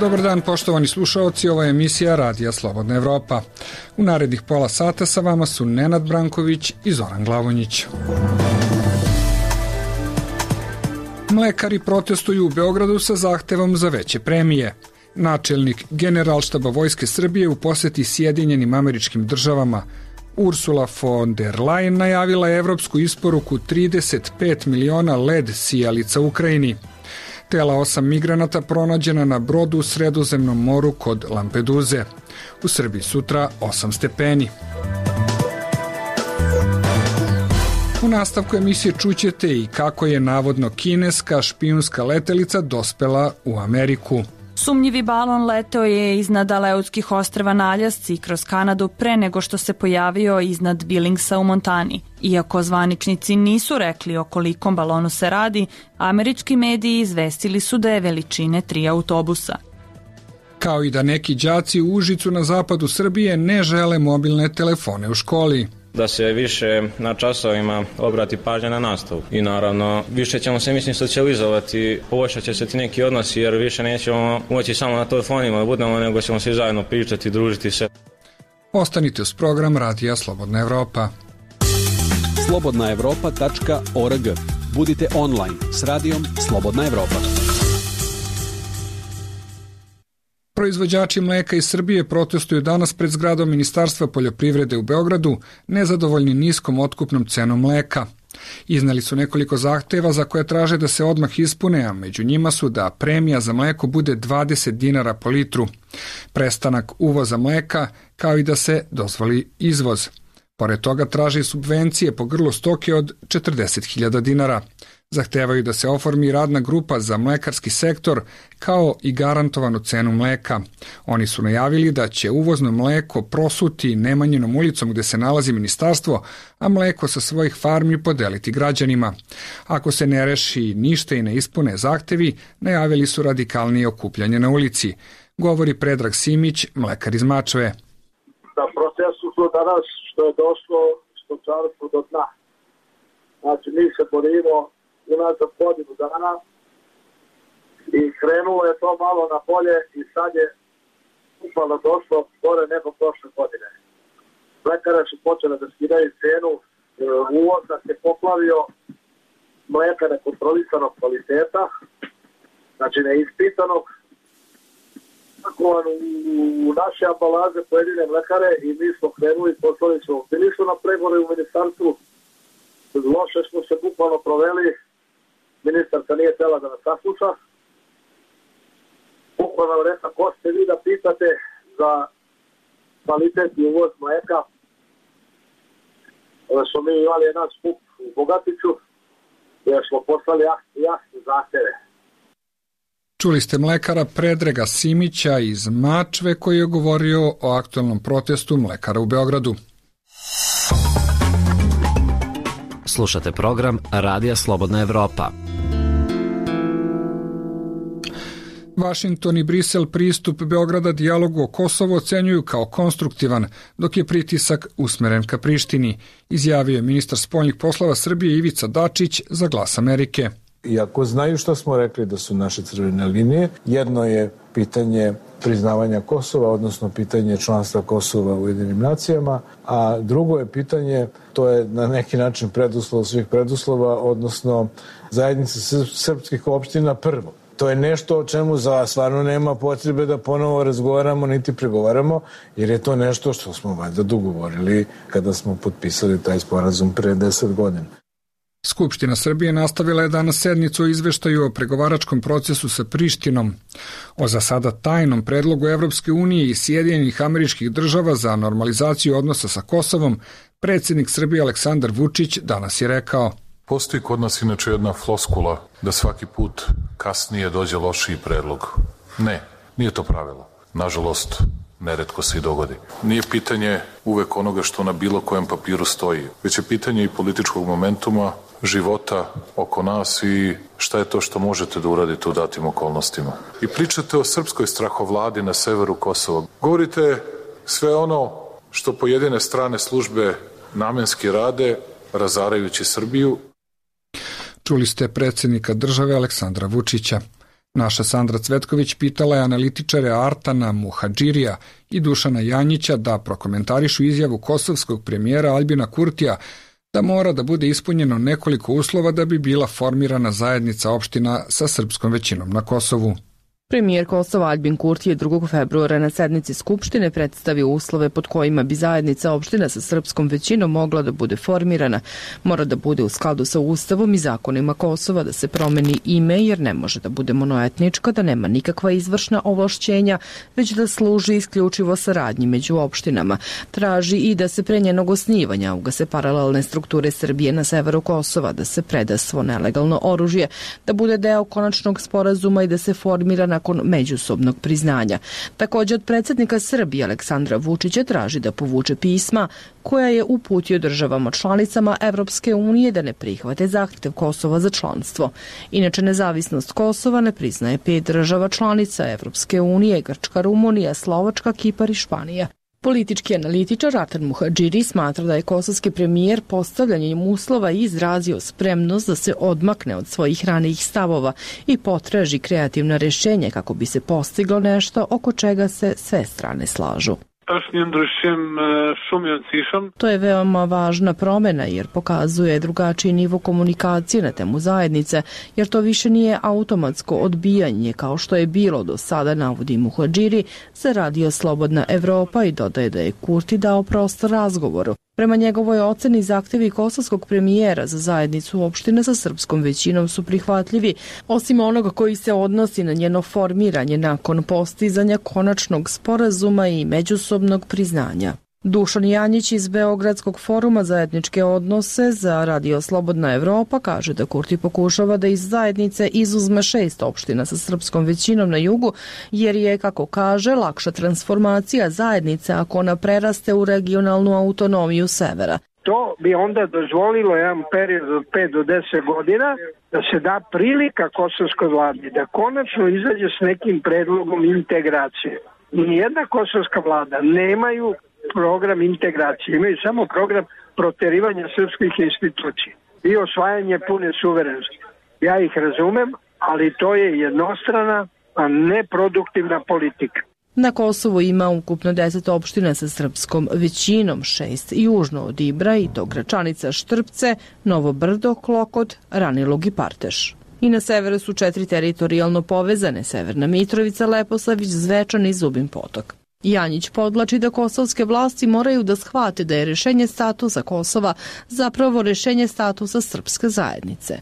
Dobar dan, poštovani slušaoci, ovo je emisija Radija Slobodna Evropa. U narednih pola sata sa vama su Nenad Branković i Zoran Glavonjić. Mlekari protestuju u Beogradu sa zahtevom za veće premije. Načelnik Generalštaba Vojske Srbije u poseti Sjedinjenim Američkim Državama Ursula von der Leyen najavila je evropsku isporuku 35 miliona led sijalica Ukrajini. Tela 8 migranata pronađena na brodu u Sredozemnom moru kod Lampeduze. U Srbiji sutra 8 stepeni. U nastavku emisije čućete i kako je navodno kineska špijunska letelica dospela u Ameriku. Sumnjivi balon leteo je iznad Aleutskih ostrva na Aljasci kroz Kanadu pre nego što se pojavio iznad Billingsa u Montani. Iako zvaničnici nisu rekli o kolikom balonu se radi, američki mediji izvestili su da je veličine 3 autobusa. Kao i da neki đaci u Užicu na zapadu Srbije ne žele mobilne telefone u školi. Da se više na časovima obrati pažnja na nastavu. I naravno, više ćemo se, mislim, socijalizovati, poboljšat će se ti neki odnosi, jer više nećemo moći samo na telefonima da budemo, nego ćemo svi zajedno pričati, družiti se. Ostanite uz program Radija Slobodna Evropa. slobodnaevropa.org. Budite online s radijom Slobodna Evropa. Proizvođači mleka iz Srbije protestuju danas pred zgradom Ministarstva poljoprivrede u Beogradu, nezadovoljni niskom otkupnom cenom mleka. Izneli su nekoliko zahteva za koje traže da se odmah ispune, a među njima su da premija za mleko bude 20 dinara po litru, prestanak uvoza mleka, kao i da se dozvoli izvoz. Pored toga traže subvencije po grlu stoke od 40.000 dinara. Zahtevaju da se oformi radna grupa za mlekarski sektor kao i garantovanu cenu mleka. Oni su najavili da će uvozno mleko prosuti Nemanjinom ulicom gde se nalazi ministarstvo, a mleko sa svojih farmi podeliti građanima. Ako se ne reši ništa i ne ispune zahtevi, najavili su radikalnije okupljanje na ulici. Govori Predrag Simić, mlekar iz Mačve. Na procesu su danas što je došlo stočarstvo do dna. Znači, mi se borimo unazad godinu dana i krenulo je to malo na bolje i sad je upalo došlo gore nego prošle godine. Mlekare su počele da skidaju cenu, uvoz nas je poplavio mleka nekontrolisanog kvaliteta, znači neispitanog, u naše ambalaže pojedine mlekare i mi smo krenuli, poslali smo, bili su na pregovore u ministarstvu, loše smo se bukvalno proveli, ministarka nije htjela da nas sasluša. Bukvalno rekla, ko ste vi da pitate za kvalitet i uvoz mleka. Onda smo mi imali jedan skup u Bogatiću, gdje smo poslali jasne zahteve. Čuli ste mlekara Predraga Simića iz Mačve koji je govorio o aktualnom protestu mlekara u Beogradu. Slušate program Radija Slobodna Evropa. Vašington i Brisel pristup Beograda dijalogu o Kosovu ocenjuju kao konstruktivan, dok je pritisak usmeren ka Prištini, izjavio je ministar spoljnih poslova Srbije Ivica Dačić za Glas Amerike. Iako znaju što smo rekli da su naše crvene linije, jedno je pitanje priznavanja Kosova, odnosno pitanje članstva Kosova u Ujedinim nacijama, a drugo je pitanje, to je na neki način preduslov svih preduslova, odnosno zajednica srpskih opština prvo. To je nešto o čemu stvarno nema potrebe da ponovo razgovaramo niti pregovaramo, jer je to nešto što smo valjda dogovorili kada smo potpisali taj sporazum pre 10 godina. Skupština Srbije nastavila je danas sednicu o izveštaju o pregovaračkom procesu sa Prištinom. O za sada tajnom predlogu Evropske unije i Sjedinjenih Američkih Država za normalizaciju odnosa sa Kosovom, predsjednik Srbije Aleksandar Vučić danas je rekao: Postoji kod nas inače jedna floskula da svaki put kasnije dođe lošiji predlog. Ne, nije to pravilo. Nažalost, neretko se i dogodi. Nije pitanje uvek onoga što na bilo kojem papiru stoji, već je pitanje i političkog momentuma, života oko nas i šta je to što možete da uradite u datim okolnostima. I pričate o srpskoj strahovladi na severu Kosova. Govorite sve ono što pojedine strane službe namenski rade, razarajući Srbiju. Čuli ste predsjednika države Aleksandra Vučića. Naša Sandra Cvetković pitala je analitičare Artana Muhadžirija i Dušana Janjića da prokomentarišu izjavu kosovskog premijera Aljbina Kurtija da mora da bude ispunjeno nekoliko uslova da bi bila formirana zajednica opština sa srpskom većinom na Kosovu. Premijer Kosova Aljbin Kurti je 2. februara na sednici Skupštine predstavio uslove pod kojima bi zajednica opština sa srpskom većinom mogla da bude formirana. Mora da bude u skladu sa Ustavom i zakonima Kosova, da se promeni ime jer ne može da bude monoetnička, da nema nikakva izvršna ovlašćenja, već da služi isključivo saradnji među opštinama. Traži i da se pre njenog osnivanja ugase paralelne strukture Srbije na severu Kosova, da se preda svo nelegalno oružje, da bude deo konačnog sporazuma i da se formira nakon međusobnog priznanja. Također od predsjednika Srbije Aleksandra Vučića traži da povuče pisma koja je uputio državama članicama Evropske unije da ne prihvate zahtev Kosova za članstvo. Inače, nezavisnost Kosova ne priznaje 5 država članica Evropske unije: Grčka, Rumunija, Slovačka, Kipar i Španija. Politički analitičar Artan Muhadžiri smatra da je kosovski premijer postavljanjem uslova izrazio spremnost da se odmakne od svojih ranijih stavova i potraži kreativna rješenja kako bi se postiglo nešto oko čega se sve strane slažu. To je veoma važna promjena jer pokazuje drugačiji nivo komunikacije na temu zajednice, jer to više nije automatsko odbijanje kao što je bilo do sada, navodi Muhadžiri za Radio Slobodna Evropa i dodaje da je Kurti dao prostor razgovoru. Prema njegovoj oceni zahtjevi kosovskog premijera za zajednicu opštine sa srpskom većinom su prihvatljivi, osim onoga koji se odnosi na njeno formiranje nakon postizanja konačnog sporazuma i međusobnog priznanja. Dušan Janjić iz Beogradskog foruma za etničke odnose za Radio Slobodna Evropa kaže da Kurti pokušava da iz zajednice izuzme 6 opština sa srpskom većinom na jugu, jer je, kako kaže, lakša transformacija zajednice ako ona preraste u regionalnu autonomiju severa. To bi onda dozvolilo jedan period od 5 do 10 godina da se da prilika kosovskoj vladi da konačno izađe s nekim predlogom integracije. Nijedna kosovska vlada nemaju program integracije, imaju samo program proterivanja srpskih institucija i osvajanje pune suverenosti. Ja ih razumem, ali to je jednostrana, a neproduktivna politika. Na Kosovu ima ukupno 10 opština sa srpskom većinom, 6 južno od Ibra i to Gračanica, Štrpce, Novo Brdo, Klokot, Ranilog i Parteš. I na severu su 4 teritorijalno povezane: Severna Mitrovica, Leposavić, Zvečan i Zubin Potok. Janjić podlači da kosovske vlasti moraju da shvate da je rješenje statusa Kosova zapravo rješenje statusa srpske zajednice.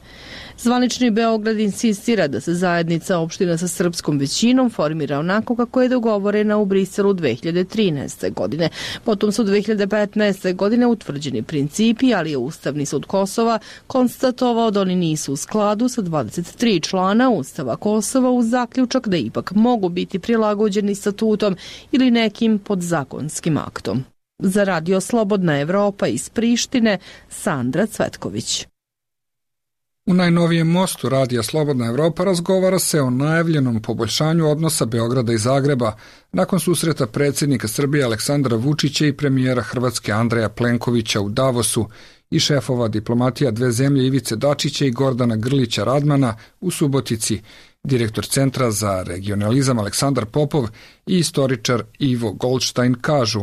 Zvanični Beograd insistira da se zajednica opština sa srpskom većinom formira onako kako je dogovorena u Briselu 2013. godine. Potom su 2015. godine utvrđeni principi, ali je Ustavni sud Kosova konstatovao da oni nisu u skladu sa 23 člana Ustava Kosova uz zaključak da ipak mogu biti prilagođeni statutom ili nekim podzakonskim aktom. Za Radio Slobodna Evropa iz Prištine, Sandra Cvetković. U najnovijem mostu Radija Slobodna Evropa razgovara se o najavljenom poboljšanju odnosa Beograda i Zagreba nakon susreta predsjednika Srbije Aleksandra Vučića i premijera Hrvatske Andreja Plenkovića u Davosu i šefova diplomatija dve zemlje Ivice Dačića i Gordana Grlića Radmana u Subotici, direktor Centra za regionalizam Aleksandar Popov i istoričar Ivo Goldstein kažu: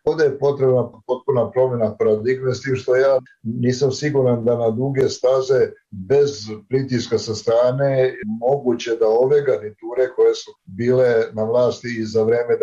Ovdje je potrebna potpuna promjena paradigme, s tim što ja nisam siguran da na duge staze bez pritiska sa strane moguće da ove garniture koje su bile na vlasti i za vreme 90.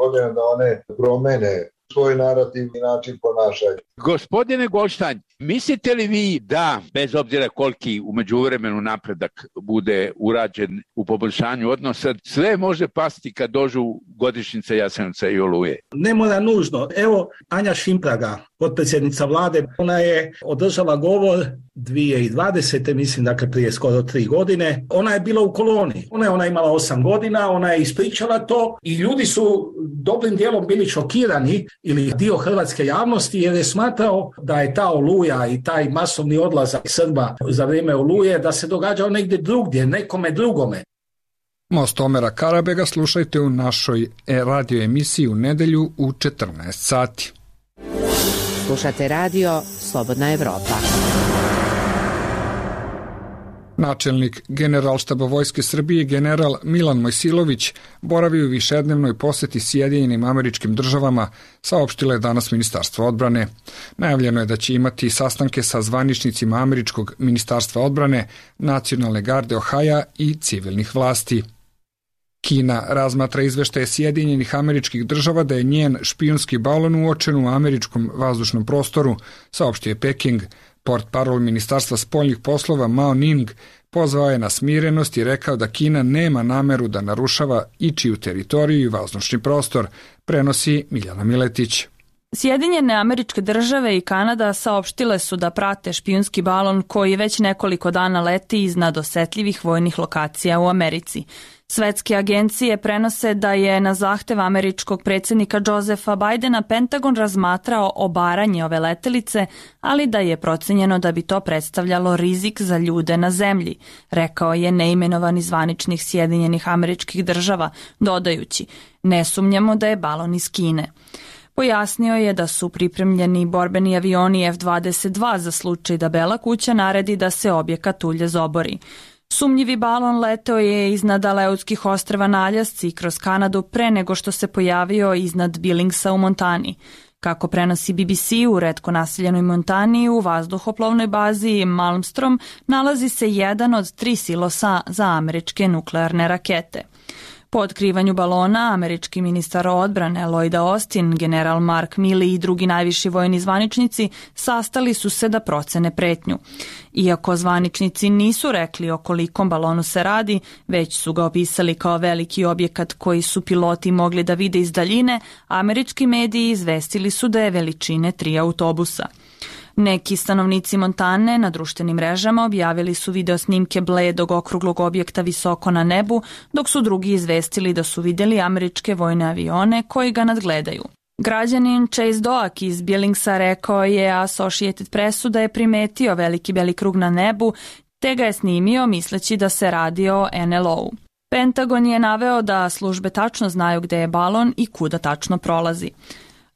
godina da one promene svoj narativ i način ponašanja. Gospodine Goldstein, mislite li vi da, bez obzira koliki u međuvremenu napredak bude urađen u poboljšanju odnosa, sve može pasti kad dođu godišnjice Jasenovca i Oluje? Ne mora nužno. Evo, Anja Šimpraga, potpredsjednica vlade, ona je održala govor 2020. mislim, dakle prije skoro 3 godine. Ona je bila u koloni. Ona je imala 8 godina, ona je ispričala to i ljudi su dobrim dijelom bili šokirani ili dio hrvatske javnosti jer je smatrao da je ta Oluja i taj masovni odlazak Srba za vrijeme Oluje da se događao negdje drugdje, nekome drugome. Most Omera Karabega slušajte u našoj radio emisiji u nedelju u 14 sati. Slušate radio Slobodna Evropa. Načelnik Generalštaba Vojske Srbije general Milan Mojsilović boravi u višednevnoj poseti Sjedinjenim Američkim Državama, saopštilo je danas Ministarstvo odbrane. Najavljeno je da će imati sastanke sa zvaničnicima Američkog Ministarstva odbrane, Nacionalne garde Ohaja i civilnih vlasti. Kina razmatra izveštaje Sjedinjenih Američkih Država da je njen špijunski balon uočen u američkom vazdušnom prostoru, saopštio je Peking. Portparol Ministarstva spoljnih poslova Mao Ning pozvao je na smirenost i rekao da Kina nema nameru da narušava ičiju teritoriju i vazdušni prostor, prenosi Miljana Miletić. Sjedinjene Američke Države i Kanada saopštile su da prate špijunski balon koji već nekoliko dana leti iznad osetljivih vojnih lokacija u Americi. Svetske agencije prenose da je na zahtev američkog predsjednika Josepha Bidena Pentagon razmatrao obaranje ove letelice, ali da je procenjeno da bi to predstavljalo rizik za ljude na zemlji, rekao je neimenovani zvaničnik Sjedinjenih Američkih Država, dodajući: "Ne sumnjamo da je balon iz Kine." Pojasnio je da su pripremljeni borbeni avioni F-22 za slučaj da Bela kuća naredi da se objekat uljezobori. Sumnjivi balon leteo je iznad Aleutskih ostrva na Aljasci kroz Kanadu pre nego što se pojavio iznad Billingsa u Montani. Kako prenosi BBC, u retko naseljenoj Montani u vazduhoplovnoj bazi Malmstrom nalazi se jedan od 3 silosa za američke nuklearne rakete. Po otkrivanju balona, američki ministar odbrane Lloyd Austin, general Mark Milley i drugi najviši vojni zvaničnici sastali su se da procene pretnju. Iako zvaničnici nisu rekli o kolikom balonu se radi, već su ga opisali kao veliki objekat koji su piloti mogli da vide iz daljine, američki mediji izvestili su da je veličine 3 autobusa. Neki stanovnici Montane na društvenim mrežama objavili su video snimke bledog okruglog objekta visoko na nebu, dok su drugi izvestili da su vidjeli američke vojne avione koji ga nadgledaju. Građanin Chase Doak iz Billingsa rekao je Associated Pressu da je primetio veliki beli krug na nebu, te ga je snimio misleći da se radi o NLO-u. Pentagon je naveo da službe tačno znaju gde je balon i kuda tačno prolazi.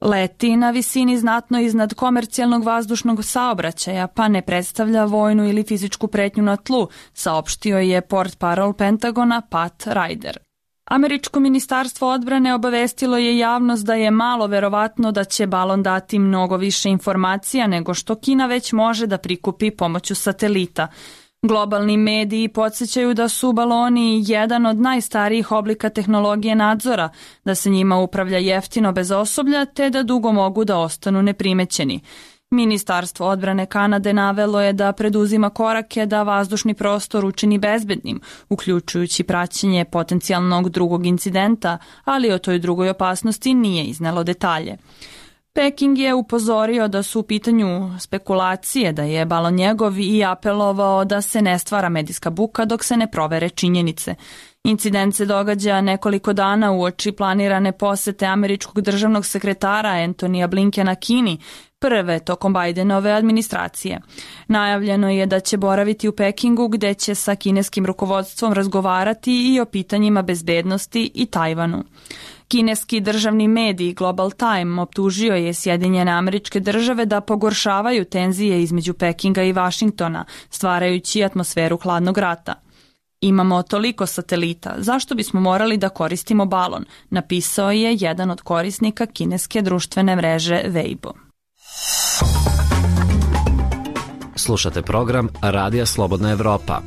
Leti na visini znatno iznad komercijalnog vazdušnog saobraćaja, pa ne predstavlja vojnu ili fizičku pretnju na tlu, saopštio je portparol Pentagona Pat Ryder. Američko ministarstvo odbrane obavestilo je javnost da je malo verovatno da će balon dati mnogo više informacija nego što Kina već može da prikupi pomoću satelita. Globalni mediji podsjećaju da su baloni jedan od najstarijih oblika tehnologije nadzora, da se njima upravlja jeftino bez osoblja te da dugo mogu da ostanu neprimećeni. Ministarstvo odbrane Kanade navelo je da preduzima korake da vazdušni prostor učini bezbednim, uključujući praćenje potencijalnog drugog incidenta, ali o toj drugoj opasnosti nije iznelo detalje. Peking je upozorio da su u pitanju spekulacije da je balon njegov i apelovao da se ne stvara medijska buka dok se ne provere činjenice. Incident se događa nekoliko dana uoči planirane posete američkog državnog sekretara Antonija Blinkena Kini, prve tokom Bidenove administracije. Najavljeno je da će boraviti u Pekingu gde će sa kineskim rukovodstvom razgovarati i o pitanjima bezbednosti i Tajvanu. Kineski državni medij Global Time optužio je Sjedinjene Američke Države da pogoršavaju tenzije između Pekinga i Vašingtona, stvarajući atmosferu hladnog rata. Imamo toliko satelita, zašto bismo morali da koristimo balon, napisao je jedan od korisnika kineske društvene mreže Weibo. Slušate program Radija Slobodna Evropa.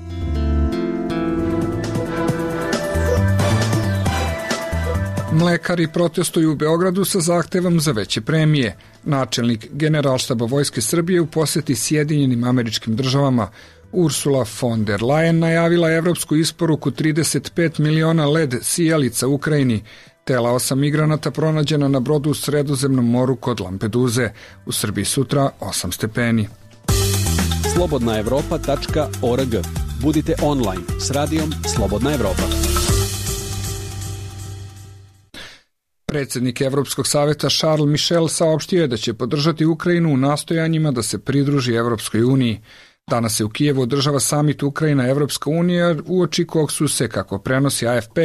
Mlekari protestuju u Beogradu sa zahtevom za veće premije. Načelnik Generalštaba Vojske Srbije u poseti Sjedinjenim Američkim Državama Ursula von der Leyen najavila evropsku isporuku 35 miliona led sijalica Ukrajini. Tela 8 migranata pronađena na brodu u Sredozemnom moru kod Lampeduze. U Srbiji sutra 8 stepeni. slobodnaevropa.org. Budite online s radijom Slobodna Evropa. Predsjednik Evropskog saveta Charles Michel saopštio je da će podržati Ukrajinu u nastojanjima da se pridruži Evropskoj uniji. Danas se u Kijevu održava samit Ukrajina-Evropska unija, uoči kog su se, kako prenosi AFP,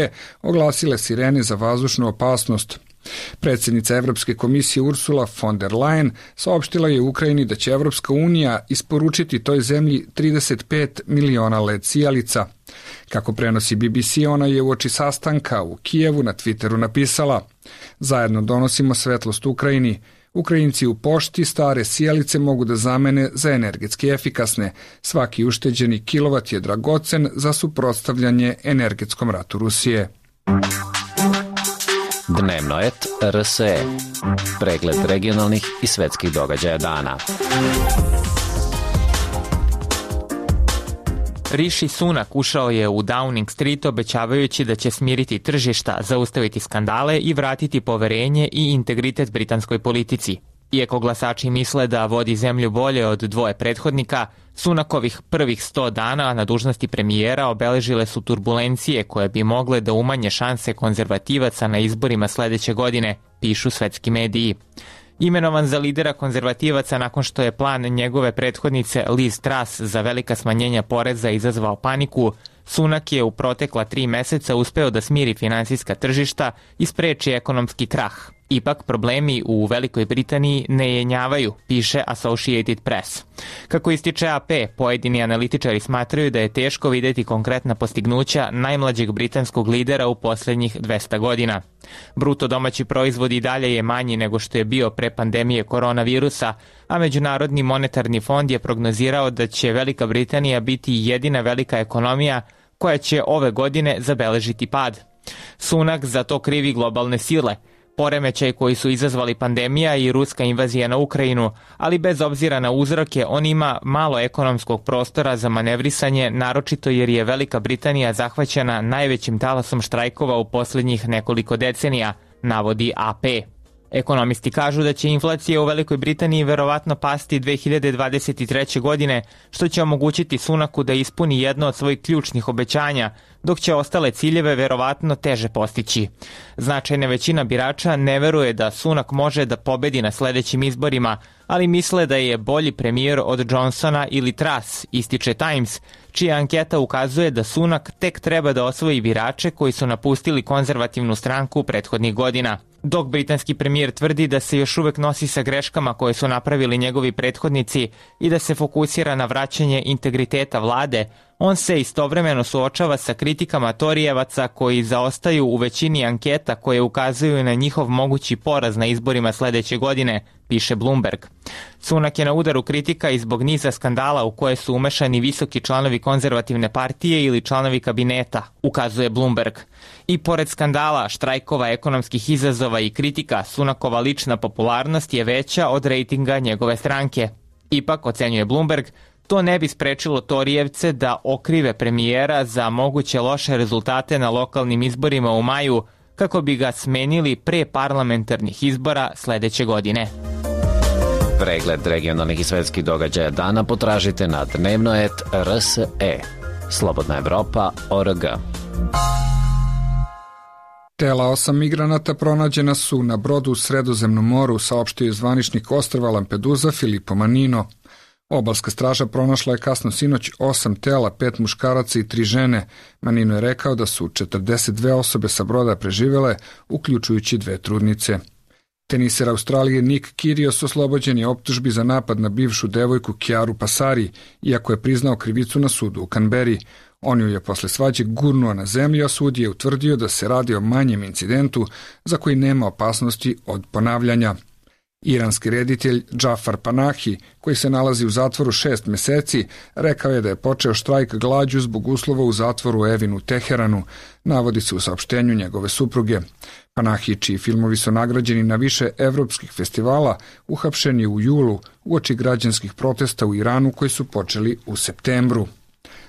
oglasile sirene za vazdušnu opasnost. Predsjednica Evropske komisije Ursula von der Leyen saopštila je Ukrajini da će Evropska unija isporučiti toj zemlji 35 miliona led sijalica. Kako prenosi BBC, ona je uoči sastanka u Kijevu na Twitteru napisala: "Zajedno donosimo svetlost Ukrajini. Ukrajinci u pošti stare sijalice mogu da zamene za energetski efikasne. Svaki ušteđeni kilovat je dragocen za suprotstavljanje energetskom ratu Rusije." Dnevnoet RSE. Pregled regionalnih i svetskih događaja dana. Rishi Sunak ušao je u Downing Street obećavajući da će smiriti tržišta, zaustaviti skandale i vratiti poverenje i integritet britanskoj politici. Iako glasači misle da vodi zemlju bolje od dvoje prethodnika, Sunakovih prvih 100 dana na dužnosti premijera obeležile su turbulencije koje bi mogle da umanje šanse konzervativaca na izborima sledeće godine, pišu svetski mediji. Imenovan za lidera konzervativaca nakon što je plan njegove prethodnice Liz Truss za velika smanjenja poreza izazvao paniku, Sunak je u protekla 3 meseca uspeo da smiri finansijska tržišta i spreči ekonomski krah. Ipak problemi u Velikoj Britaniji ne jenjavaju, piše Associated Press. Kako ističe AP, pojedini analitičari smatraju da je teško videti konkretna postignuća najmlađeg britanskog lidera u posljednjih 200 godina. Bruto domaći proizvod i dalje je manji nego što je bio pre pandemije koronavirusa, a Međunarodni monetarni fond je prognozirao da će Velika Britanija biti jedina velika ekonomija koja će ove godine zabeležiti pad. Sunak za to krivi globalne sile, poremećaj koji su izazvali pandemija i ruska invazija na Ukrajinu, ali bez obzira na uzroke on ima malo ekonomskog prostora za manevrisanje, naročito jer je Velika Britanija zahvaćena najvećim talasom štrajkova u posljednjih nekoliko decenija, navodi AP. Ekonomisti kažu da će inflacija u Velikoj Britaniji verovatno pasti 2023. godine, što će omogućiti Sunaku da ispuni jedno od svojih ključnih obećanja, dok će ostale ciljeve verovatno teže postići. Značajna većina birača ne veruje da Sunak može da pobedi na sledećim izborima, ali misle da je bolji premijer od Johnsona ili Truss, ističe Times, čija anketa ukazuje da Sunak tek treba da osvoji birače koji su napustili konzervativnu stranku prethodnih godina. Dok britanski premijer tvrdi da se još uvek nosi sa greškama koje su napravili njegovi prethodnici i da se fokusira na vraćanje integriteta vlade, on se istovremeno suočava sa kritikama Torijevaca koji zaostaju u većini anketa koje ukazuju na njihov mogući poraz na izborima sledeće godine, piše Bloomberg. Sunak je na udaru kritika i zbog niza skandala u koje su umešani visoki članovi konzervativne partije ili članovi kabineta, ukazuje Bloomberg. I pored skandala, štrajkova, ekonomskih izazova i kritika, Sunakova lična popularnost je veća od rejtinga njegove stranke. Ipak, ocenjuje Bloomberg, to ne bi sprečilo Torijevce da okrive premijera za moguće loše rezultate na lokalnim izborima u maju, kako bi ga smenili pre parlamentarnih izbora sledeće godine. Pregled regionalnih i svetskih događaja dana potražite na Dnevnoet RSE. Slobodna Evropa.org. Tela 8 migranata pronađena su na brodu u Sredozemnom moru, saopštio je zvaničnik ostrva Lampedusa Filippo Manino. Obalska straža pronašla je kasno sinoć 8 tela, 5 muškaraca i 3 žene. Manino je rekao da su 42 osobe sa broda preživele, uključujući 2 trudnice. Teniser Australije Nick Kyrgios oslobođen je optužbi za napad na bivšu devojku Chiaru Passari, iako je priznao krivicu na sudu u Canberri. On ju je posle svađe gurnuo na zemlju, a sud je utvrdio da se radi o manjem incidentu za koji nema opasnosti od ponavljanja. Iranski reditelj Džafar Panahi, koji se nalazi u zatvoru 6 meseci, rekao je da je počeo štrajk glađu zbog uslova u zatvoru Evin u Teheranu, navodi se u saopštenju njegove supruge. Panahi, čiji filmovi su nagrađeni na više evropskih festivala, uhapšen je u julu uoči građanskih protesta u Iranu koji su počeli u septembru.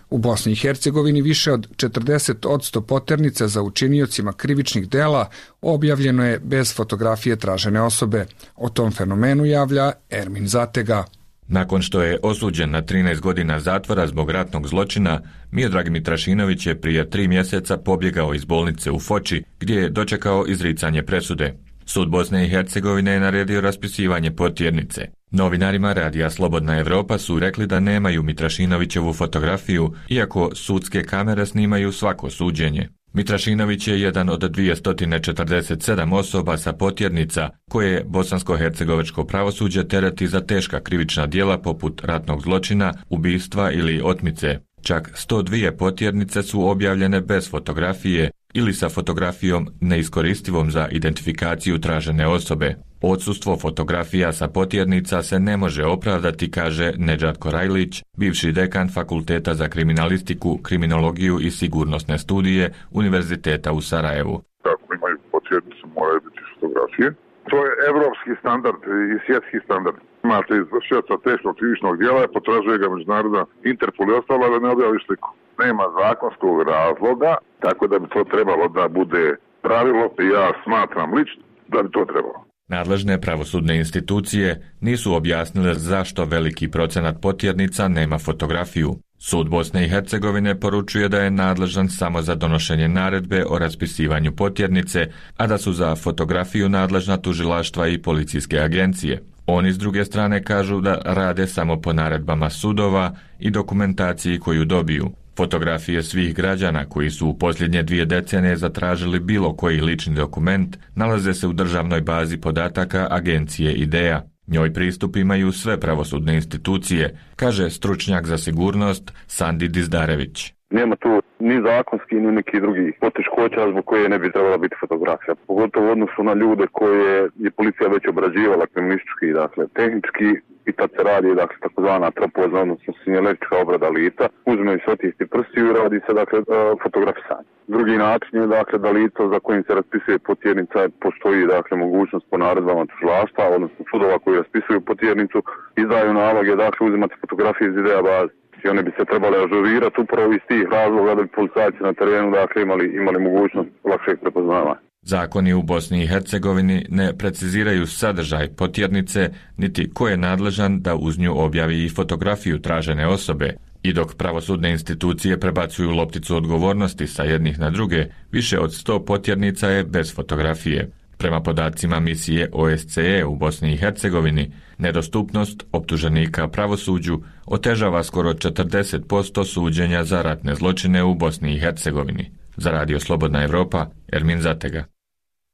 U Bosni i Hercegovini više od 40% poternica za učiniocima krivičnih dela objavljeno je bez fotografije tražene osobe. O tom fenomenu javlja Ermin Zatega. Nakon što je osuđen na 13 godina zatvora zbog ratnog zločina, Miodrag Mitrašinović je prije 3 mjeseca pobjegao iz bolnice u Foči, gdje je dočekao izricanje presude. Sud Bosne i Hercegovine je naredio raspisivanje potjernice. Novinarima Radija Slobodna Evropa su rekli da nemaju Mitrašinovićevu fotografiju, iako sudske kamere snimaju svako suđenje. Mitrašinović je jedan od 247 osoba sa potjernica koje bosansko-hercegovačko pravosuđe tereti za teška krivična djela poput ratnog zločina, ubistva ili otmice. Čak 102 potjernice su objavljene bez fotografije ili sa fotografijom neiskoristivom za identifikaciju tražene osobe. Odsustvo fotografija sa potjernica se ne može opravdati, kaže Nedžad Korajlić, bivši dekan Fakulteta za kriminalistiku, kriminologiju i sigurnosne studije Univerziteta u Sarajevu. Kako imaju potjernicu, moraju biti fotografije. To je evropski standard i svjetski standard. Imate izvršioca teškog krivičnog djela, potražuje ga međunarodna Interpol i ostalo da ne objavi sliku. Nema zakonskog razloga, tako da bi to trebalo da bude pravilo i ja smatram lično da bi to trebalo. Nadležne pravosudne institucije nisu objasnile zašto veliki procenat potjernica nema fotografiju. Sud Bosne i Hercegovine poručuje da je nadležan samo za donošenje naredbe o raspisivanju potjernice, a da su za fotografiju nadležna tužilaštva i policijske agencije. Oni s druge strane kažu da rade samo po naredbama sudova i dokumentaciji koju dobiju. Fotografije svih građana koji su u posljednje 2 decenije zatražili bilo koji lični dokument nalaze se u državnoj bazi podataka agencije IDEA. Njoj pristup imaju sve pravosudne institucije, kaže stručnjak za sigurnost Sandi Dizdarević. Nema tu ni zakonski, ni neki drugi poteškoća zbog koje ne bi trebala biti fotografija. Pogotovo u odnosu na ljude koje je policija već obrađivala kriminalistički, dakle tehnički, i tad se radi takozvana tropoza, odnosno sinjalistička obrada lica, uzme se otisti prstiju i radi se fotografisanje. Drugi način je da lico za kojim se raspisuje potjernica postoji mogućnost po naredbama tužilaštva, odnosno sudova koji raspisuju potjernicu, izdaju naloge uzimati fotografije iz IDEA baze. I one bi se trebale ažurirati upravo iz tih razloga da bi policajci na terenu imali mogućnost lakšeg prepoznavanja. Zakoni u Bosni i Hercegovini ne preciziraju sadržaj potjernice, niti ko je nadležan da uz nju objavi i fotografiju tražene osobe. I dok pravosudne institucije prebacuju lopticu odgovornosti sa jednih na druge, više od 100 potjernica je bez fotografije. Prema podacima misije OSCE u Bosni i Hercegovini, nedostupnost optuženika pravosuđu otežava skoro 40% suđenja za ratne zločine u Bosni i Hercegovini. Za Radio Slobodna Evropa, Ermin Zatega.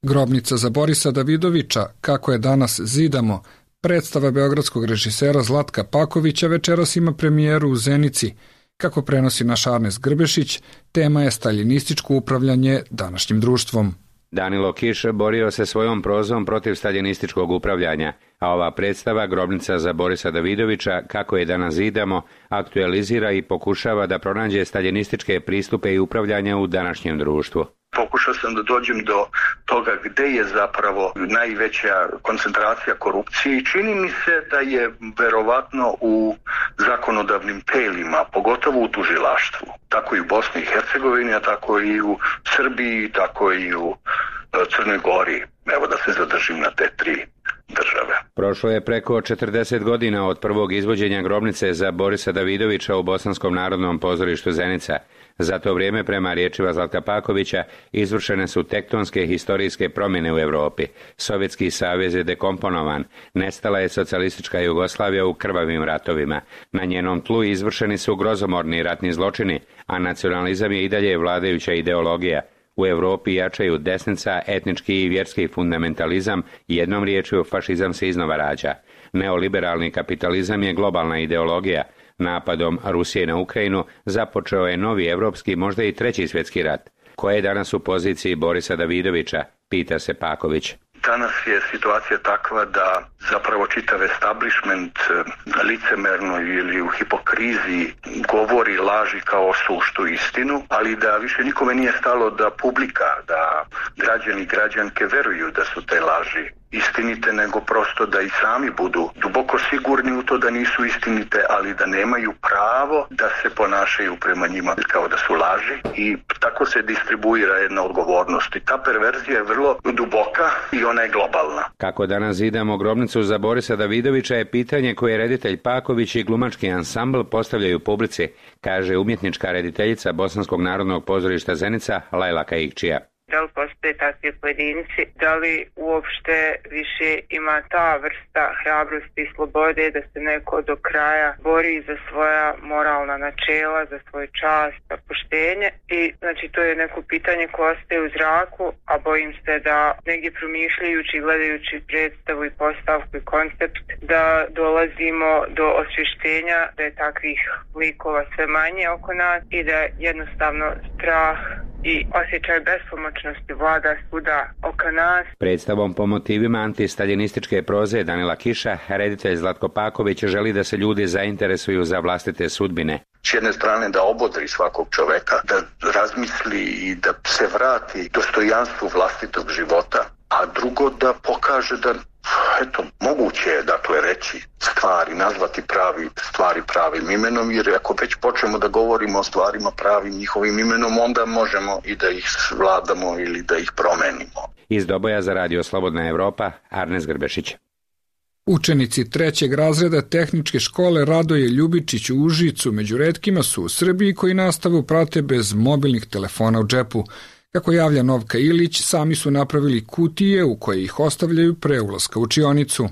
Grobnica za Borisa Davidovića, kako je danas zidamo, predstava beogradskog režisera Zlatka Pakovića večeras ima premijeru u Zenici. Kako prenosi naš Arnes Grbešić, tema je staljinističko upravljanje današnjim društvom. Danilo Kiš borio se svojom prozom protiv staljinističkog upravljanja, a ova predstava Grobnica za Borisa Davidovića, kako je danas zidamo, aktualizira i pokušava da pronađe staljinističke pristupe i upravljanja u današnjem društvu. Pokušao sam da dođem do toga gde je zapravo najveća koncentracija korupcije i čini mi se da je verovatno u zakonodavnim telima, pogotovo u tužilaštvu. Tako i u Bosni i Hercegovini, a tako i u Srbiji, tako i u Crnoj Gori. Evo da se zadržim na te 3 države. Prošlo je preko 40 godina od prvog izvođenja Grobnice za Borisa Davidovića u Bosanskom narodnom pozorištu Zenica. Za to vrijeme, prema riječima Zlatka Pakovića, izvršene su tektonske historijske promjene u Europi. Sovjetski savez je dekomponovan, nestala je socijalistička Jugoslavija u krvavim ratovima. Na njenom tlu izvršeni su grozomorni ratni zločini, a nacionalizam je i dalje vladajuća ideologija. U Europi jačaju desnica, etnički i vjerski fundamentalizam, jednom riječju fašizam se iznova rađa. Neoliberalni kapitalizam je globalna ideologija. Napadom Rusije na Ukrajinu započeo je novi evropski, možda i 3. svjetski rat. Ko je danas u poziciji Borisa Davidovića, pita se Paković. Danas je situacija takva da zapravo čitav establishment licemerno ili u hipokrizi govori laži kao suštu istinu, ali da više nikome nije stalo da publika, da građani i građanke veruju da su te laži istinite, nego prosto da i sami budu duboko sigurni u to da nisu istinite, ali da nemaju pravo da se ponašaju prema njima kao da su laži i tako se distribuira jedna odgovornost. I ta perverzija je vrlo duboka i ona je globalna. Kako danas zidamo Grobnicu za Borisa Davidovića je pitanje koje reditelj Paković i glumački ansambl postavljaju publici, kaže umjetnička rediteljica Bosanskog narodnog pozorišta Zenica Lajla Kaikčija. da li postoje takvi pojedinci, da li uopšte više ima ta vrsta hrabrosti i slobode da se neko do kraja bori za svoja moralna načela, za svoj čast, za poštenje. I znači to je neko pitanje koje ostaje u zraku, a bojim se da negdje promišljajući i gledajući predstavu i postavku i koncept da dolazimo do osvještenja da je takvih likova sve manje oko nas i da jednostavno strah i osjećaj bespomoćnosti vlada svuda oko nas. Predstavom po motivima antistaljinističke proze Danila Kiša, reditelj Zlatko Paković želi da se ljudi zainteresuju za vlastite sudbine. S jedne strane da obodri svakog čoveka, da razmisli i da se vrati dostojanstvu vlastitog života, a drugo da pokaže da moguće je reći stvari, nazvati stvari pravim imenom, jer ako već počnemo da govorimo o stvarima pravim njihovim imenom, onda možemo i da ih vladamo ili da ih promenimo. Iz Doboja za Radio Slobodna Evropa, Arnes Grbešić. Učenici 3. razreda tehničke škole Radoje Ljubičić u Užicu među retkima su u Srbiji koji nastavu prate bez mobilnih telefona u džepu. Kako javlja Novka Ilić, sami su napravili kutije u koje ih ostavljaju pre ulaska u učionicu.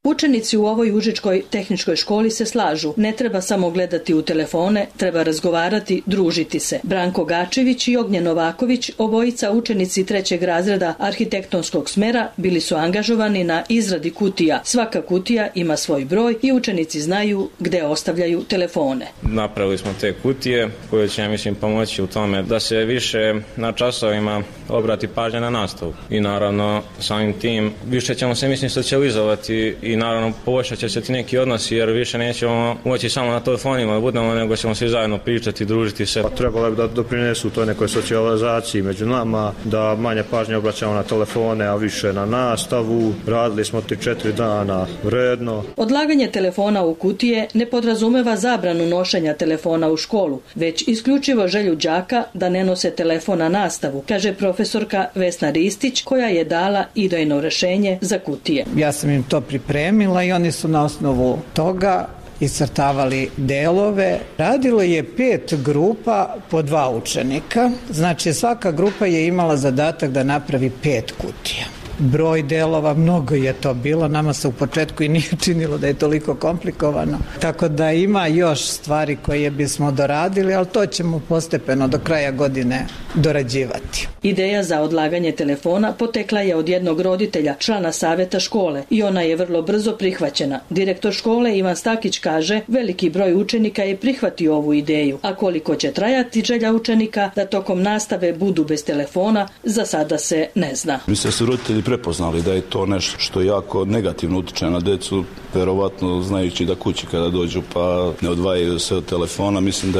Učenici u ovoj užičkoj tehničkoj školi se slažu. Ne treba samo gledati u telefone, treba razgovarati, družiti se. Branko Gačević i Ognjen Novaković, obojica učenici 3. razreda arhitektonskog smera, bili su angažovani na izradi kutija. Svaka kutija ima svoj broj i učenici znaju gde ostavljaju telefone. Napravili smo te kutije koje će, pomoći u tome da se više na časovima obrati pažnja na nastavu. I naravno, samim tim, više ćemo se, socijalizovati i naravno poboljšat će se ti neki odnosi jer više nećemo moći samo na telefonima da budemo, nego ćemo svi zajedno pričati, družiti se. Trebalo bi da doprinesu toj nekoj socijalizaciji među nama, da manje pažnje obraćamo na telefone, a više na nastavu. Radili smo 3-4 dana redno. Odlaganje telefona u kutije ne podrazumeva zabranu nošenja telefona u školu, već isključivo želju đaka da ne nose telefon na nastavu, kaže profesorka Vesna Ristić, koja je dala idejno rešenje za kutije. Ja sam im to pripremila i oni su na osnovu toga iscrtavali delove. Radilo je 5 grupa po 2 učenika. Znači svaka grupa je imala zadatak da napravi 5 kutija. Broj delova, mnogo je to bilo, nama se u početku i nije činilo da je toliko komplikovano. Tako da ima još stvari koje bismo doradili, ali to ćemo postepeno do kraja godine dorađivati. Ideja za odlaganje telefona potekla je od jednog roditelja, člana saveta škole, i ona je vrlo brzo prihvaćena. Direktor škole Ivan Stakić kaže, veliki broj učenika je prihvatio ovu ideju, a koliko će trajati želja učenika da tokom nastave budu bez telefona, za sada se ne zna. Mislim da su roditelji prepoznali da je to nešto što jako negativno utiče na decu, verovatno znajući da kući kada dođu pa ne odvajaju se od telefona, mislim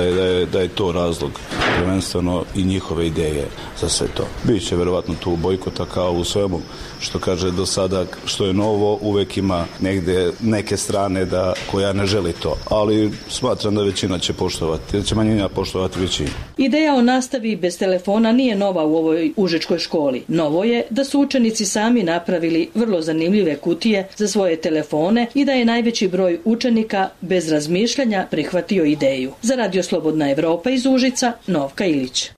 da je to razlog, prvenstveno i njihove ideje za sve to. Biće verovatno tu bojkota kao u svemu što kaže do sada, što je novo, uvek ima negde neke strane koja ne želi to, ali smatram da većina će poštovati, da će manjina poštovati većinu. Ideja o nastavi bez telefona nije nova u ovoj užičkoj školi. Novo je da su učenici sami napravili vrlo zanimljive kutije za svoje telefone i da je najveći broj učenika bez razmišljanja prihvatio ideju. Za Radio Slobodna Evropa iz Užica, Novka Ilić.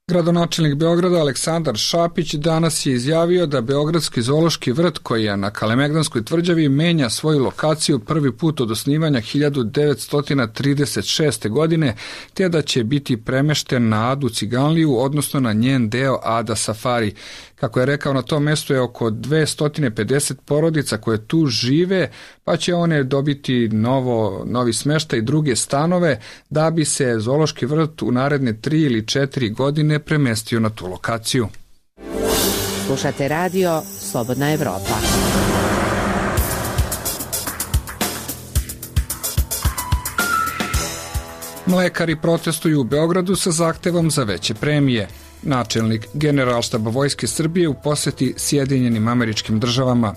Gradonačelnik Beograda Aleksandar Šapić danas je izjavio da Beogradski zoološki vrt koji je na Kalemegdanskoj tvrđavi menja svoju lokaciju prvi put od osnivanja 1936. godine, te da će biti premešten na Adu Ciganliju, odnosno na njen deo Ada Safari. Kako je rekao, na tom mjestu je oko 250 porodica koje tu žive, pa će one dobiti novi smještaj i druge stanove da bi se zoološki vrt u naredne 3 ili 4 godine premestio na tu lokaciju. Slušate radio Slobodna Evropa. Mlekari protestuju u Beogradu sa zahtevom za veće premije. Načelnik Generalštaba Vojske Srbije u poseti Sjedinjenim Američkim Državama.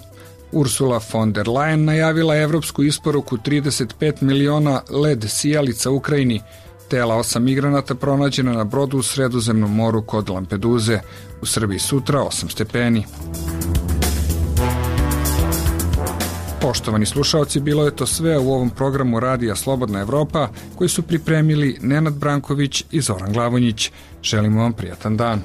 Ursula von der Leyen najavila evropsku isporuku 35 miliona led sijalica Ukrajini. Tela 8 migranata pronađena na brodu u Sredozemnom moru kod Lampeduze. U Srbiji sutra 8 stepeni. Poštovani slušaoci, bilo je to sve u ovom programu Radija Slobodna Evropa koji su pripremili Nenad Branković i Zoran Glavonjić. Želimo vam prijatan dan.